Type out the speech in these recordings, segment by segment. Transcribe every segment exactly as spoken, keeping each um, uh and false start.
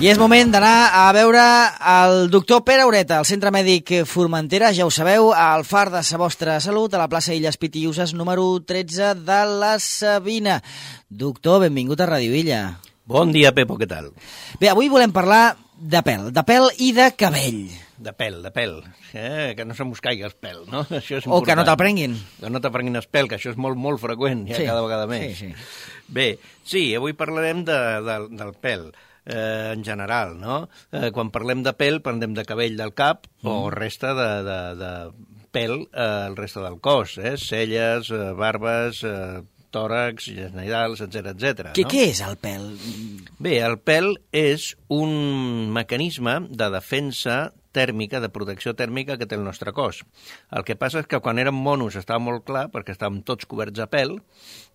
I és moment d'anar a veure el doctor Pere Ureta, al Centre Mèdic Formentera, ja ho sabeu, al Far de sa vostra salut, a la plaça Illes Pitiüses, número tretze de la Sabina. Doctor, benvingut a Ràdio Illa. Bon dia, Pepo, què tal? Bé, avui volem parlar de pèl, de pèl i de cabell. De pèl, de pèl. Eh? Que no se mos caigui el pèl, no? Això és o que no te'l prenguin. Que no te prenguin el pèl, que això és molt, molt freqüent, ja sí, cada vegada més. Sí, sí. Bé, sí, avui parlarem de, de, del pèl. Eh, en general, no? Eh, quan parlem de pèl, parlem de cabell del cap mm. o resta de, de, de pèl eh, el resta del cos, eh? Celles, eh, barbes, eh, tòrax, genitals, etcètera, etcètera. Què, no? Què és el pèl? Bé, el pèl és un mecanisme de defensa tèrmica, de protecció tèrmica que té el nostre cos. El que passa és que quan érem monos estava molt clar, perquè estàvem tots coberts de pèl,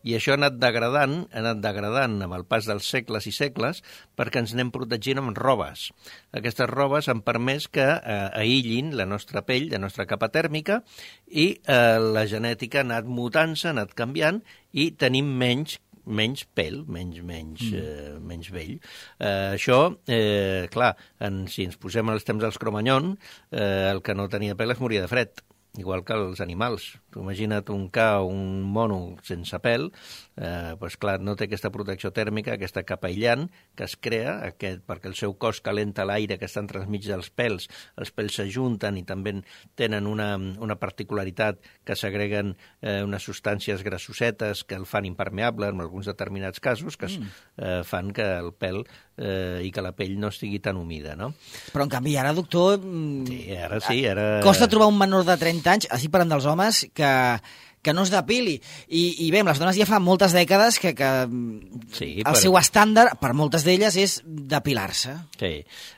i això ha anat degradant, ha anat degradant amb el pas dels segles i segles, perquè ens anem protegint amb robes. Aquestes robes han permès que eh, aïllin la nostra pell, la nostra capa tèrmica, i eh, la genètica ha anat mutant-se, ha anat canviant, i tenim menys menys pèl, menys, menys, mm. eh, menys vell. Eh, això, eh, clar, en, si ens posem als temps dels Cromanyón, eh, el que no tenia pèl es moria de fred, igual que els animals. Tu imagina't un ca o un mono sense pèl, eh, doncs clar, no té aquesta protecció tèrmica, aquesta capa aïllant que es crea, aquest, perquè el seu cos calenta l'aire que està entremig dels pèls, els pèls s'ajunten i també tenen una, una particularitat que s'agreguen eh, unes substàncies grassosetes que el fan impermeable en alguns determinats casos, que mm. eh, fan que el pèl eh, i que la pell no estigui tan humida, no? Però en canvi ara, doctor... Sí, ara sí, ara... Costa trobar un menor de trenta anys, així parlant dels homes, que, que no es depili. I, i bé, amb les dones ja fa moltes dècades que, que sí, el però... seu estàndard, per moltes d'elles, és depilar-se. Sí,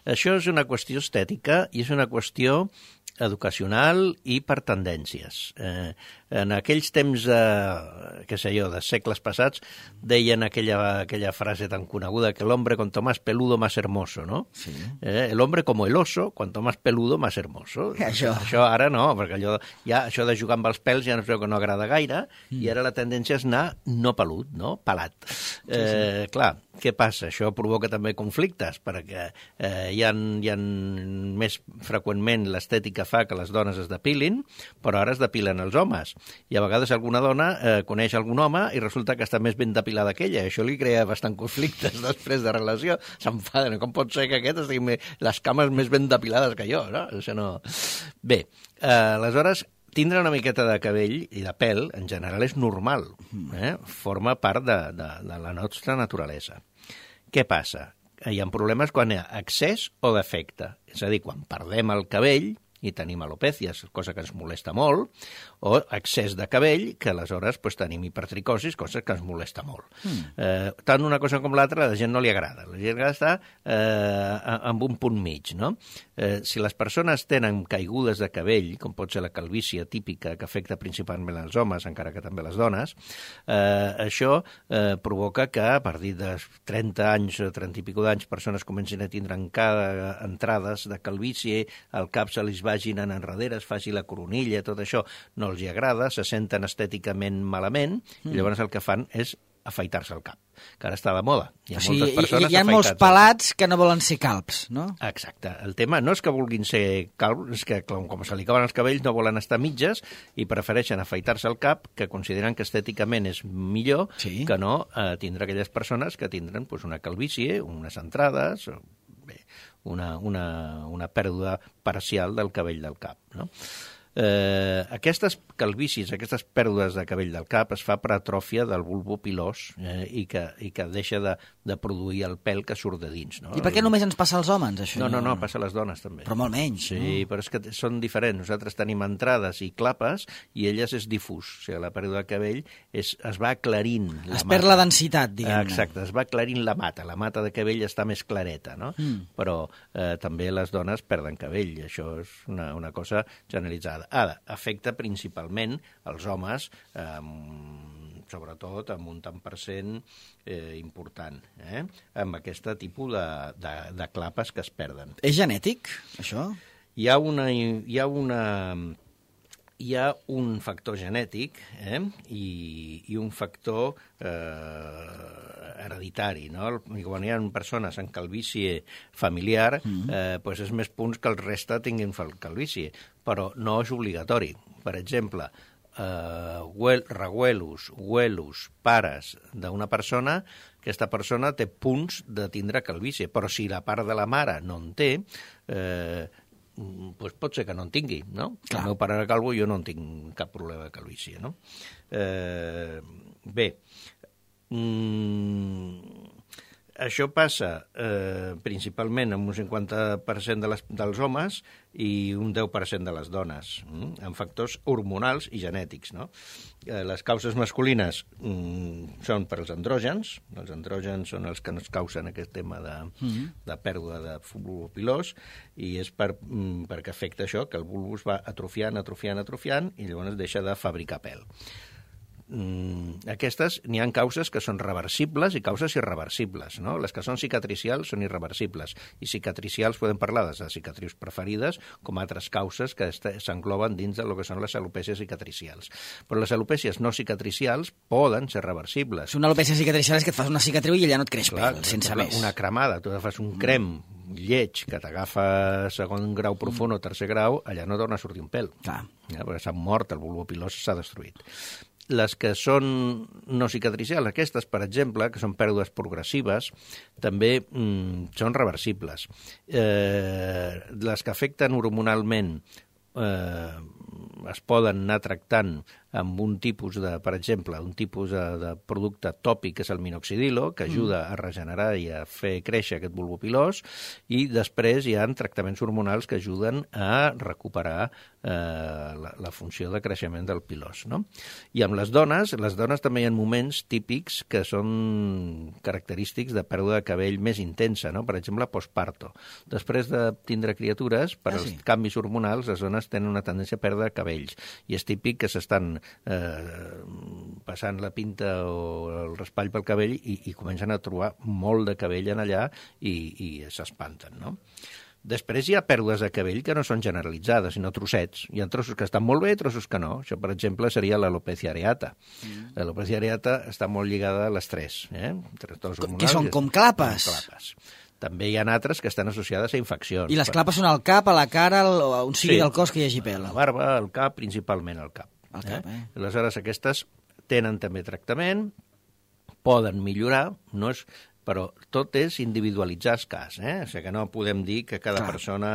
això és una qüestió estètica i és una qüestió educacional i per tendències. Eh, en aquells temps, eh, què sé jo, de segles passats, deien aquella, aquella frase tan coneguda que el hombre cuanto más peludo, más hermoso, ¿no? Sí. Eh, el hombre como el oso, cuanto más peludo, más hermoso. Això. Això ara no, perquè allò, ja, això de jugar amb els pèls ja no es veu que no agrada gaire, mm. i ara la tendència és anar no pelut, no? Pelat. Sí, sí. Eh, clar, què passa? Això provoca també conflictes, perquè eh, hi, ha, hi ha més freqüentment l'estètica fa que les dones es depilin, però ara es depilen els homes. I a vegades alguna dona eh, coneix algun home i resulta que està més ben depilada que ella. Això li crea bastant conflictes després de relació. S'enfaden. Com pot ser que aquest estigui les cames més ben depilades que jo, no? Això no... Bé, eh, aleshores, tindre una miqueta de cabell i de pèl, en general, és normal. Eh? Forma part de, de, de la nostra naturalesa. Què passa? Hi ha problemes quan hi ha excés o defecte. És a dir, quan perdem el cabell i tenim alopècies, cosa que ens molesta molt, o excés de cabell, que aleshores pues, tenim hipertricosis, cosa que ens molesta molt. Mm. Eh, tant una cosa com l'altra, a la gent no li agrada. La gent està eh, amb un punt mig, no? Eh, si les persones tenen caigudes de cabell, com pot ser la calvície típica, que afecta principalment els homes, encara que també les dones, eh, això eh, provoca que a partir de trenta anys, trenta i pico d'anys, persones comencin a tindre encara entrades de calvície, el cap se li vagin en enrere, es faci la coronilla, tot això no els hi agrada, se senten estèticament malament, mm. i llavors el que fan és afaitar-se el cap, que ara està de moda. Hi ha, o sigui, moltes persones hi ha molts pelats que no volen ser calbs, no? Exacte. El tema no és que vulguin ser calbs, és que com se li acaben els cabells no volen estar mitges i prefereixen afaitar-se el cap, que consideren que estèticament és millor sí. que no eh, tindre aquelles persones que tindren pues, una calvície, unes entrades... Bé, una, una, una pèrdua parcial del cabell del cap, no? Eh, aquestes calvícies, aquestes pèrdues de cabell del cap es fa per atròfia del bulbo pilós eh, i, que, i que deixa de, de produir el pèl que surt de dins. No? I per què només ens passa als homes, això? No, no, no, passa a les dones també. Però molt menys. Sí, no? Però és que són diferents. Nosaltres tenim entrades i clapes i elles és difús. O sigui, la pèrdua de cabell és, es va aclarint la es perd la densitat, diguem-ne. Exacte, es va aclarint la mata. La mata de cabell està més clareta, no? Mm. Però eh, també les dones perden cabell. Això és una, una cosa generalitzada. Ara, afecta principalment els homes, eh, sobretot amb un tant per cent eh, important, eh, amb aquest tipus de, de, de clapes que es perden. És genètic, això? Hi ha una... Hi ha una hi ha un factor genètic eh? I, i un factor eh, hereditari. No? I quan hi ha persones amb calvície familiar, mm-hmm. eh, pues és més punts que el reste tinguin calvície, però no és obligatori. Per exemple, eh, huel, reguelos, huelos, pares d'una persona, aquesta persona té punts de tindre calvície, però si la part de la mare no en té, eh, pues pot ser que no en tingui, no? Clar. El meu pare era calvo i jo no en tinc cap problema de calvície, no? Eh, bé, mm, això passa eh, principalment amb un cinquanta per cent de les, dels homes i un deu per cent de les dones, mm? amb factors hormonals i genètics, no? Eh, les causes masculines mm, són per als andrògens, els andrògens són els que ens causen aquest tema de, mm-hmm. de pèrdua de bulbo pilós, i és per, mm, perquè afecta això, que el bulbus va atrofiant, atrofiant, atrofiant, i llavors deixa de fabricar pèl. Mm, aquestes, n'hi ha causes que són reversibles i causes irreversibles, no? Les que són cicatricials són irreversibles, i cicatricials podem parlar de les cicatrius preferides com altres causes que s'engloben dins de lo que són les alopècies cicatricials. Però les alopècies no cicatricials poden ser reversibles. Una alopècia cicatricial és que et fas una cicatriu i allà no et creix Clar, pèl, sense més. Una cremada, tu fas un crem lleig que t'agafa segon grau profund o tercer grau, allà no torna a sortir un pèl. Clar. Ja, perquè s'ha mort, el bulbo pilós s'ha destruït. Les que són no cicatricials, aquestes, per exemple, que són pèrdues progressives, també mm, són reversibles. Eh, les que afecten hormonalment eh, es poden anar tractant amb un tipus de, per exemple, un tipus de, de producte tòpic, que és el minoxidil, que ajuda mm. a regenerar i a fer créixer aquest bulbo pilós, i després hi ha tractaments hormonals que ajuden a recuperar eh, la, la funció de creixement del pilós, no? I amb les dones, les dones també hi ha moments típics que són característics de pèrdua de cabell més intensa, no? Per exemple, postparto. Després de tindre criatures, per ah, sí. als canvis hormonals, les dones tenen una tendència a perdre cabells, i és típic que s'estan Eh, passant la pinta o el raspall pel cabell i, i comencen a trobar molt de cabell en allà i, i s'espanten, no? Després hi ha pèrdues de cabell que no són generalitzades, sinó trossets. Hi ha trossos que estan molt bé i trossos que no. Això, per exemple, seria l'alopècia areata. Mm. L'alopècia areata està molt lligada a l'estrès. Eh? Que són com clapes. Com clapes. També hi ha altres que estan associades a infeccions. I les clapes són al cap, a la cara, a on sigui sí, del cos que hi hagi pèl. A la barba, al cap, principalment al cap. Al cap, eh? eh? Aleshores, aquestes tenen també tractament, poden millorar, no és... però tot és individualitzar el cas, eh? O sigui que no podem dir que cada Clar. persona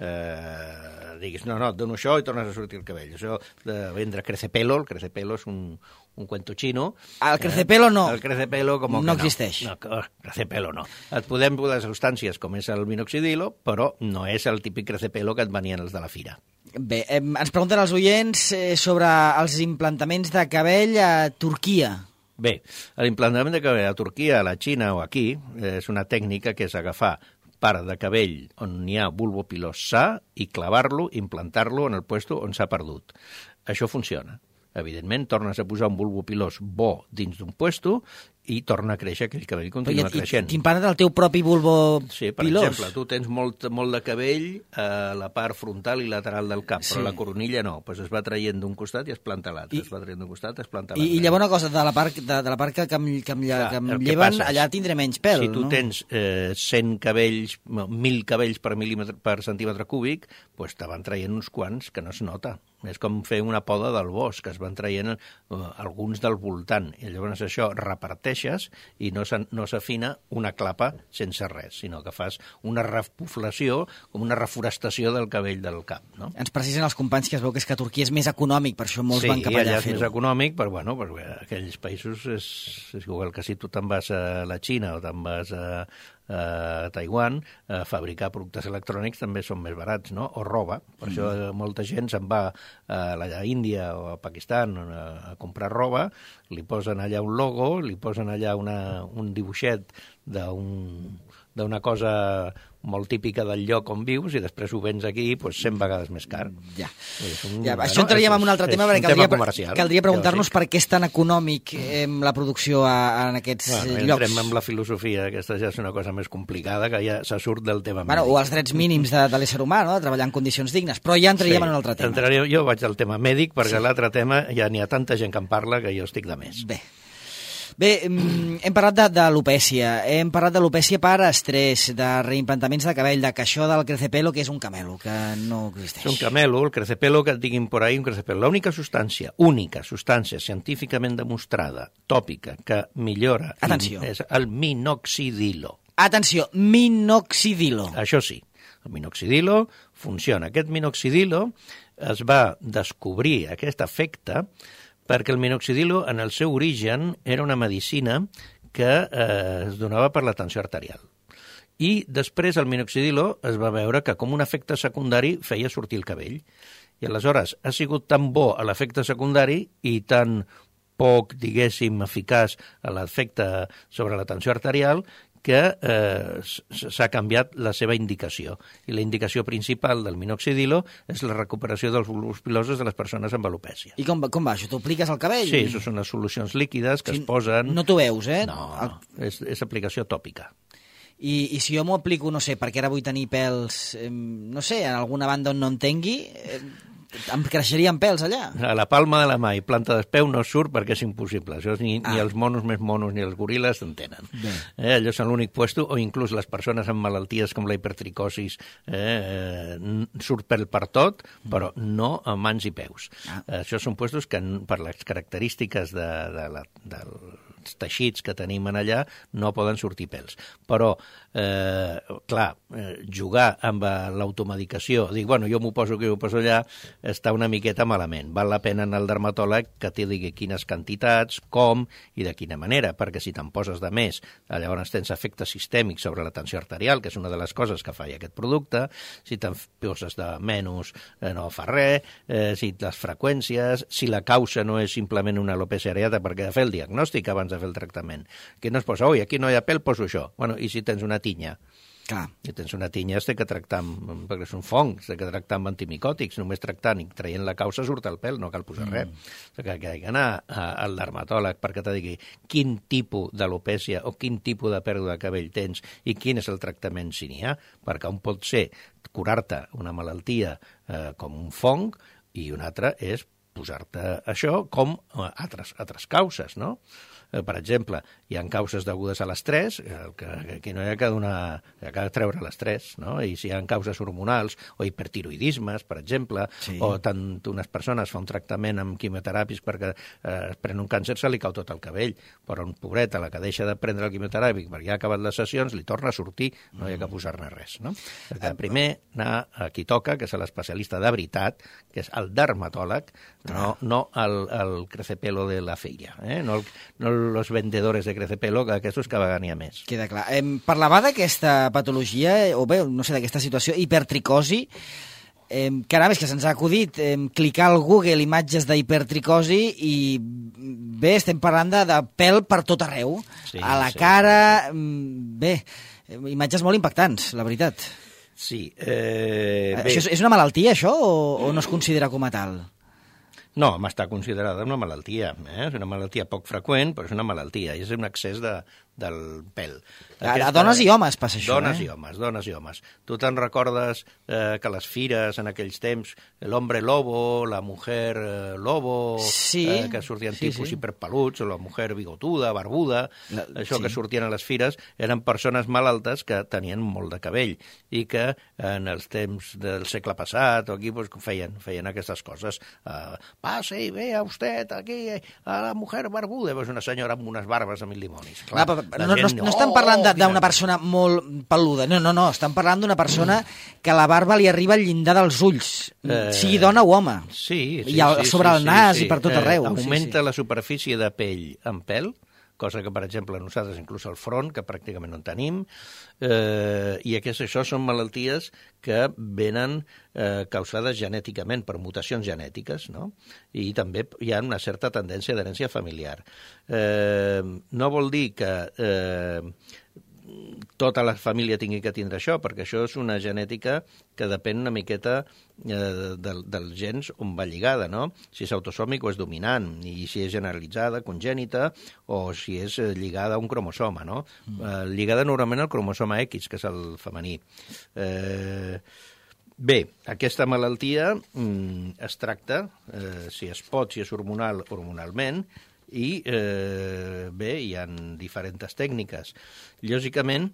eh, diguis, no, no, et dono això i tornes a sortir el cabell. Això de vendre crecepelo, el crecepelo és un, un cuento chino. El crecepelo eh? no. El crecepelo com no existeix. No, no, crecepelo no. Et podem posar substàncies com és el minoxidil, però no és el típic crecepelo que et venien els de la fira. Bé, eh, ens pregunten els oients eh, sobre els implantaments de cabell a Turquia. Bé, l'implantament de cabell a Turquia, a la Xina o aquí és una tècnica que és agafar part de cabell on hi ha bulbo pilós sa i clavar-lo, implantar-lo en el puesto on s'ha perdut. Això funciona. Evidentment, tornes a posar un bulbo pilós bo dins d'un puesto i torna a créixer, aquell cabell continua i, creixent. I t'implanten el teu propi bulbo sí, per pilós? exemple, tu tens molt, molt de cabell a la part frontal i lateral del cap, sí. però la coronilla no, doncs es va traient d'un costat i es planta l'altre, es va traient d'un costat i es planta l'altre. I, I llavors una cosa, de la part, de, de la part que, que em, que em, Clar, que em lleven, allà tindré menys pèl, si tu no? tens eh, cent cabells, mil cabells per, per centímetre cúbic, doncs te van traient uns quants que no es nota. És com fer una poda del bosc, que es van traient uh, alguns del voltant. I llavors això reparteixes i no s'afina una clapa sense res, sinó que fas una repoblació, com una reforestació del cabell del cap. No? Ens precisen els companys que es veu que és que a Turquia és més econòmic, per això molts sí, van cap allà a fer-ho. Sí, allà és més econòmic, però bueno, perquè aquells països és, és igual que si tu te'n vas a la Xina o te'n vas a, a Taiwan, a fabricar productes electrònics també són més barats, no? O roba. Per mm. això molta gent se'n va a la Índia o a Pakistan a, a comprar roba, li posen allà un logo, li posen allà una, un dibuixet d'un d'una cosa molt típica del lloc on vius i després ho vens aquí doncs, cent vegades més car. Ja. Un, ja això entraríem en un altre tema, perquè caldria, tema caldria preguntar-nos per què és tan econòmic eh, la producció a, en aquests bueno, llocs. Entrem en la filosofia, aquesta ja és una cosa més complicada, que ja se surt del tema bueno, mèdic. O els drets mínims de, de l'ésser humà, no? De treballar en condicions dignes, però ja entraríem sí, en un altre tema. Entraríem, jo vaig al tema mèdic, perquè sí. L'altre tema ja n'hi ha tanta gent que en parla que jo estic de més. Bé. Bé, hem parlat de, de l'alopècia, hem parlat de l'alopècia per estrès, de reimplantaments de cabell, de que això del crecepelo, que és un camelo, que no existeix. És un camelo, el crecepelo, que et diguin por ahí, un crecepelo. L'única substància, única substància científicament demostrada, tòpica, que millora Atenció. És el minoxidilo. Atenció, minoxidilo. Això sí, el minoxidilo funciona. Aquest minoxidilo es va descobrir, aquest efecte, perquè el minoxidilo, en el seu origen, era una medicina que eh, es donava per la tensió arterial. I després el minoxidilo es va veure que com un efecte secundari feia sortir el cabell. I aleshores ha sigut tan bo a l'efecte secundari i tan poc, diguéssim, eficaç a l'efecte sobre la tensió arterial que eh, s'ha canviat la seva indicació. I la indicació principal del minoxidilo és la recuperació dels bulbos pilosos de les persones amb alopècia. I com, com va això? T'ho apliques al cabell? Sí, això són unes solucions líquides que sí, es posen... No t'ho veus, eh? No, el... és, és aplicació tòpica. I, I si jo m'ho aplico, no sé, perquè ara vull tenir pèls, eh, no sé, en alguna banda on no en tingui... Eh, em creixerien pèls allà. A la palma de la mà i planta d'espeu no surt perquè és impossible. Això ni, ah. ni els monos més monos ni els goril·les en tenen. Eh, allò són l'únic puesto, o inclús les persones amb malalties com la hipertricosis eh, eh, surt pèl per tot, però no a mans i peus. Ah. Eh, això són puestos que per les característiques de, de la, dels teixits que tenim en allà no poden sortir pèls. Però, eh, clar, eh, jugar amb l'automedicació, dic, bueno, jo m'ho poso aquí, m'ho poso allà, està una miqueta malament. Val la pena anar al dermatòleg que t'hi digui quines quantitats, com i de quina manera, perquè si te'n poses de més, llavors tens efectes sistèmics sobre la tensió arterial, que és una de les coses que fa aquest producte, si te'n poses de menys eh, no fa res, eh, si les freqüències, si la causa no és simplement una alopècia areata perquè de fer el diagnòstic abans de fer el tractament. Que no es posa, oi, aquí no hi ha pèl, poso això. Bueno, i si tens una tinya? Clar. Si tens una tinya, has de que tractar amb, perquè és un fong, has de que tractar amb antimicòtics, només tractant i traient la causa surt el pèl, no cal posar mm. res. O sigui, que hi ha d'anar al dermatòleg perquè te digui quin tipus d'alopècia o quin tipus de pèrdua de cabell tens i quin és el tractament si n'hi ha, perquè un pot ser curar-te una malaltia eh, com un fong i un altre és posar-te això com altres, altres causes, no? Per exemple, hi ha causes degudes a l'estrès, que aquí no hi ha que donar, hi ha que treure l'estrès, no? I si hi ha causes hormonals o hipertiroidismes, per exemple, sí. O tant unes persones fa un tractament amb quimioteràpics perquè eh, es pren un càncer, se li cau tot el cabell, però un pobret, a la que deixa de prendre el quimioteràpic perquè ja ha acabat les sessions, li torna a sortir, no hi ha que posar-ne res, no? Perquè primer anar a qui toca, que és l'especialista de veritat, que és el dermatòleg, no, no el, el crecepelo de la feira, eh? No el, no los vendedores de crecepelo, que aquests cada vegada n'hi ha més. Queda clar. Eh, parlava d'aquesta patologia, o bé, no sé, d'aquesta situació, hipertricosi. Eh, caram, és que se'ns ha acudit eh, clicar al Google imatges d'hipertricosi i bé, estem parlant de, de pèl per tot arreu. Sí, a la sí, cara... Sí. Bé, imatges molt impactants, la veritat. Sí. Eh, bé. Això és, és una malaltia, això, o, o no es considera com a tal? No, està considerada una malaltia. Eh? És una malaltia poc freqüent, però és una malaltia. És un excés de, del pèl. Aquesta... A dones i homes passa això, dones eh? i homes, dones i homes. Tu te'n recordes eh, que les fires en aquells temps, l'hombre lobo, la mujer eh, lobo, sí, eh, que sortien sí, tipus sí. hiperpeluts, o la mujer bigotuda, barbuda, la, això sí. Que sortien a les fires, eren persones malaltes que tenien molt de cabell i que en els temps del segle passat o aquí pues, feien, feien aquestes coses. Eh, pase i vea usted aquí a la mujer barbuda, pues una senyora amb unes barbes a mil dimonis. Clar, no, no, gent, no, no estan parlant d'una persona molt peluda, no, no, no, estan parlant d'una persona que la barba li arriba al llindar dels ulls, eh, sigui dona o home, sí, sí, i al, sí, sobre sí, el nas sí, sí. i per tot arreu. Eh, augmenta sí, sí. la superfície de pell amb pèl, cosa que, per exemple, nosaltres, inclús al front, que pràcticament no en tenim, eh, i aquestes, això són malalties que venen eh, causades genèticament per mutacions genètiques, no? I també hi ha una certa tendència d'herència familiar. Eh, no vol dir que... Eh, tota la família tingui que tindre això, perquè això és una genètica que depèn una miqueta eh, del, dels gens on va lligada, no? Si és autosòmic o és dominant, i si és generalitzada, congènita, o si és lligada a un cromosoma, no? Mm. Eh, lligada normalment al cromosoma X, que és el femení. Eh, bé, aquesta malaltia mm, es tracta, eh, si es pot, si és hormonal, hormonalment, i eh, bé, hi ha diferents tècniques. Lògicament,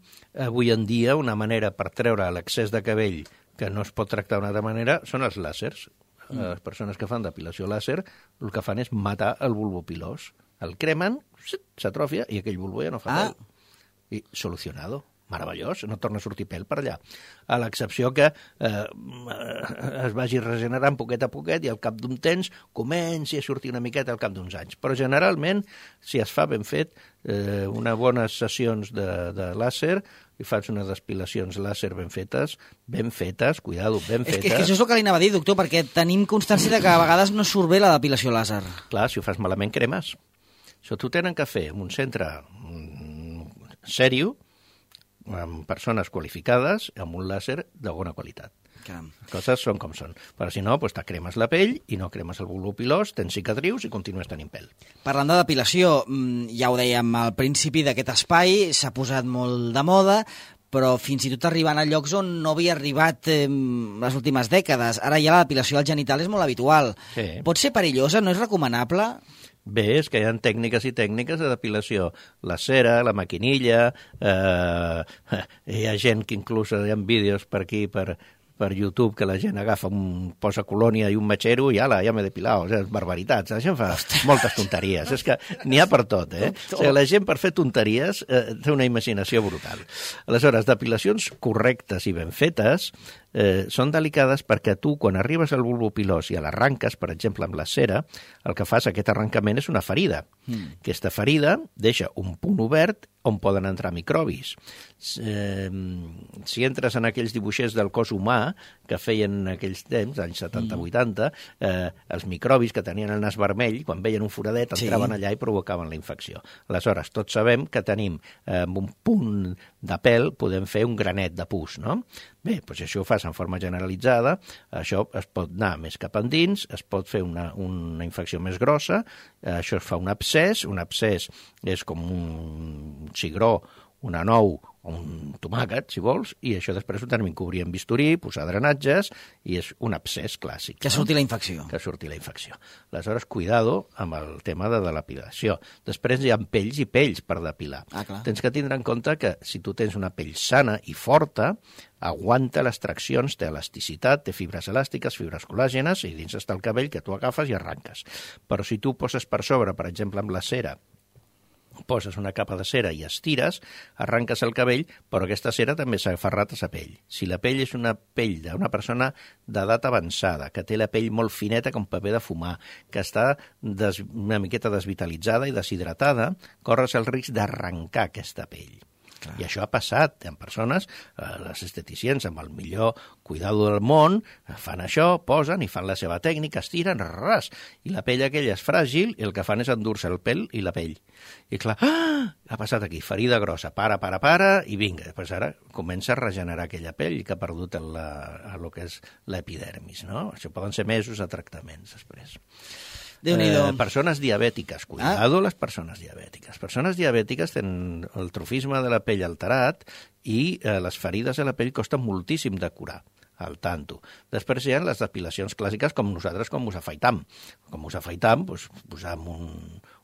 avui en dia, una manera per treure l'excés de cabell que no es pot tractar d'una altra manera són els làsers. Mm. Les persones que fan depilació làser el que fan és matar el bulbo pilós. El cremen, s'atrofia i aquell bulbo ja no fa ah. pèl. I solucionado. Meravellós, no torna a sortir pèl per allà. A l'excepció que eh, es vagi regenerant poquet a poquet i al cap d'un temps comenci a sortir una miqueta al cap d'uns anys. Però generalment, si es fa ben fet, eh, unes bones sessions de, de làser, i fas unes depilacions làser ben fetes, ben fetes, cuidado, ben és fetes... Que, és que això és el que li anava a dir, doctor, perquè tenim constància de que a vegades no surt bé la depilació làser. Clar, si ho fas malament, cremes. Això t'ho tenen que fer en un centre mm, sèrio, amb persones qualificades, amb un làser de bona qualitat. Caram. Les coses són com són. Però si no, doncs te cremes la pell i no cremes el bulbo pilós, tens cicatrius i continues tenint pèl. Parlant de depilació, ja ho dèiem al principi d'aquest espai, s'ha posat molt de moda, però fins i tot arribant a llocs on no havia arribat eh, les últimes dècades. Ara ja la depilació al genital és molt habitual. Sí. Pot ser perillosa? No és recomanable? Bé, és que hi ha tècniques i tècniques de depilació. La cera, la maquinilla, eh, hi ha gent que inclús hi ha vídeos per aquí, per, per YouTube, que la gent agafa un posa colònia i un matxero i ala, ja m'he depilat, o sigui, barbaritats. La gent fa moltes tonteries. És que n'hi ha per tot, eh? O sigui, la gent per fer tonteries eh, té una imaginació brutal. Aleshores, depilacions correctes i ben fetes eh, són delicades perquè tu, quan arribes al bulbo pilós i l'arranques, per exemple, amb la cera, el que fas, aquest arrencament és una ferida. Mm. Aquesta ferida deixa un punt obert on poden entrar microbis. Eh, si entres en aquells dibuixers del cos humà que feien en aquells temps, anys setanta vuitanta, eh, els microbis que tenien el nas vermell, quan veien un foradet, entraven sí. allà i provocaven la infecció. Aleshores, tots sabem que tenim eh, un punt de pèl, podem fer un granet de pus, no? Bé, doncs això ho fas en forma generalitzada, això es pot anar més cap endins, es pot fer una, una infecció més grossa, eh, això es fa un abscés, un abscés és com un cigró, una nou o un tomàquet, si vols, i això després ho tenim que cobrir amb bisturí, posar drenatges, i és un abscés clàssic. Que no? surti la infecció. Que surti la infecció. Aleshores, cuidado amb el tema de la depilació. Després hi ha pells i pells per depilar. Ah, clar. Tens que tindre en compte que si tu tens una pell sana i forta, aguanta les traccions, té elasticitat, té fibres elàstiques, fibres colàgenes, i dins està el cabell que tu agafes i arranques. Però si tu poses per sobre, per exemple, amb la cera, poses una capa de cera i estires, arranques el cabell, però aquesta cera també s'ha aferrat a la pell. Si la pell és una pell d'una persona d'edat avançada, que té la pell molt fineta com paper de fumar, que està des, una miqueta desvitalitzada i deshidratada, corres el risc d'arrencar aquesta pell. Clar. I això ha passat. Hi ha persones, eh, les esteticients, amb el millor cuidado del món, fan això, posen i fan la seva tècnica, estiren, ras, i la pell aquella és fràgil i el que fan és endur-se el pèl i la pell. I clar, ah, ha passat aquí, ferida grossa, para, para, para, i vinga. Després ara comença a regenerar aquella pell que ha perdut el, el que és l'epidermis, no? Això poden ser mesos de tractaments després. Eh, persones diabètiques, cuidado ah. les persones diabètiques. Persones diabètiques tenen el trofisme de la pell alterat i eh, les ferides de la pell costen moltíssim de curar, al tanto. Després hi ha les depilacions clàssiques com nosaltres, com us afaitam. Com us afaitam, doncs, posam un,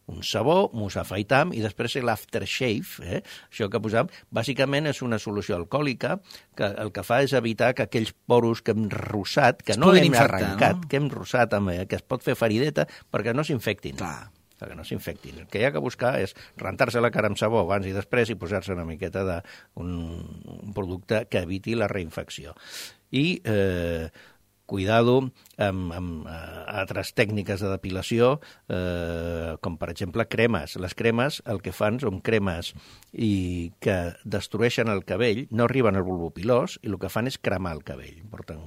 un sabó, mos afaitam, i després l'aftershave, eh? Això que posam, bàsicament és una solució alcohòlica que el que fa és evitar que aquells poros que hem rossat, que es no hem infectar, arrencat, no? que hem rossat, amb, que es pot fer ferideta, perquè no s'infectin. Clar. Que no s'infectin. El que hi ha que buscar és rentar-se la cara amb sabó abans i després i posar-se una miqueta d'un un producte que eviti la reinfecció. I eh, cuidado amb, amb uh, altres tècniques de depilació, eh, com per exemple cremes. Les cremes el que fan són cremes i que destrueixen el cabell, no arriben al bulbo pilós, i el que fan és cremar el cabell. Porten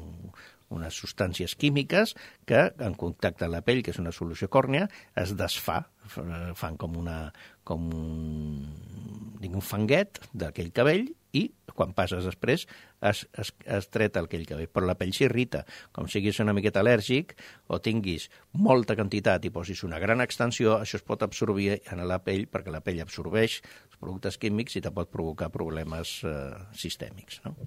unes substàncies químiques que, en contacte amb la pell, que és una solució còrnia, es desfà, fan com, una, com un, un fanguet d'aquell cabell i quan passes després es, es, es treta aquell cabell. Però la pell s'irrita. Com siguis una miqueta al·lèrgic o tinguis molta quantitat i posis una gran extensió, això es pot absorbir en la pell perquè la pell absorbeix els productes químics i te pot provocar problemes eh, sistèmics, no?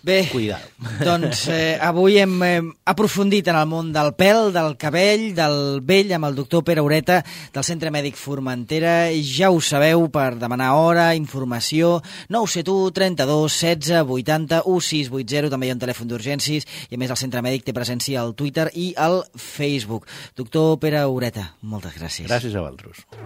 Bé, Cuidado. doncs eh, avui hem eh, aprofundit en el món del pèl, del cabell, del vell, amb el doctor Pere Ureta, del Centre Mèdic Formentera. Ja ho sabeu, per demanar hora, informació, nou set u, trenta-dos, setze, vuitanta, setze vuitanta, també hi ha un telèfon d'urgències, i a més el Centre Mèdic té presència al Twitter i al Facebook. Doctor Pere Ureta, moltes gràcies. Gràcies a vosaltres.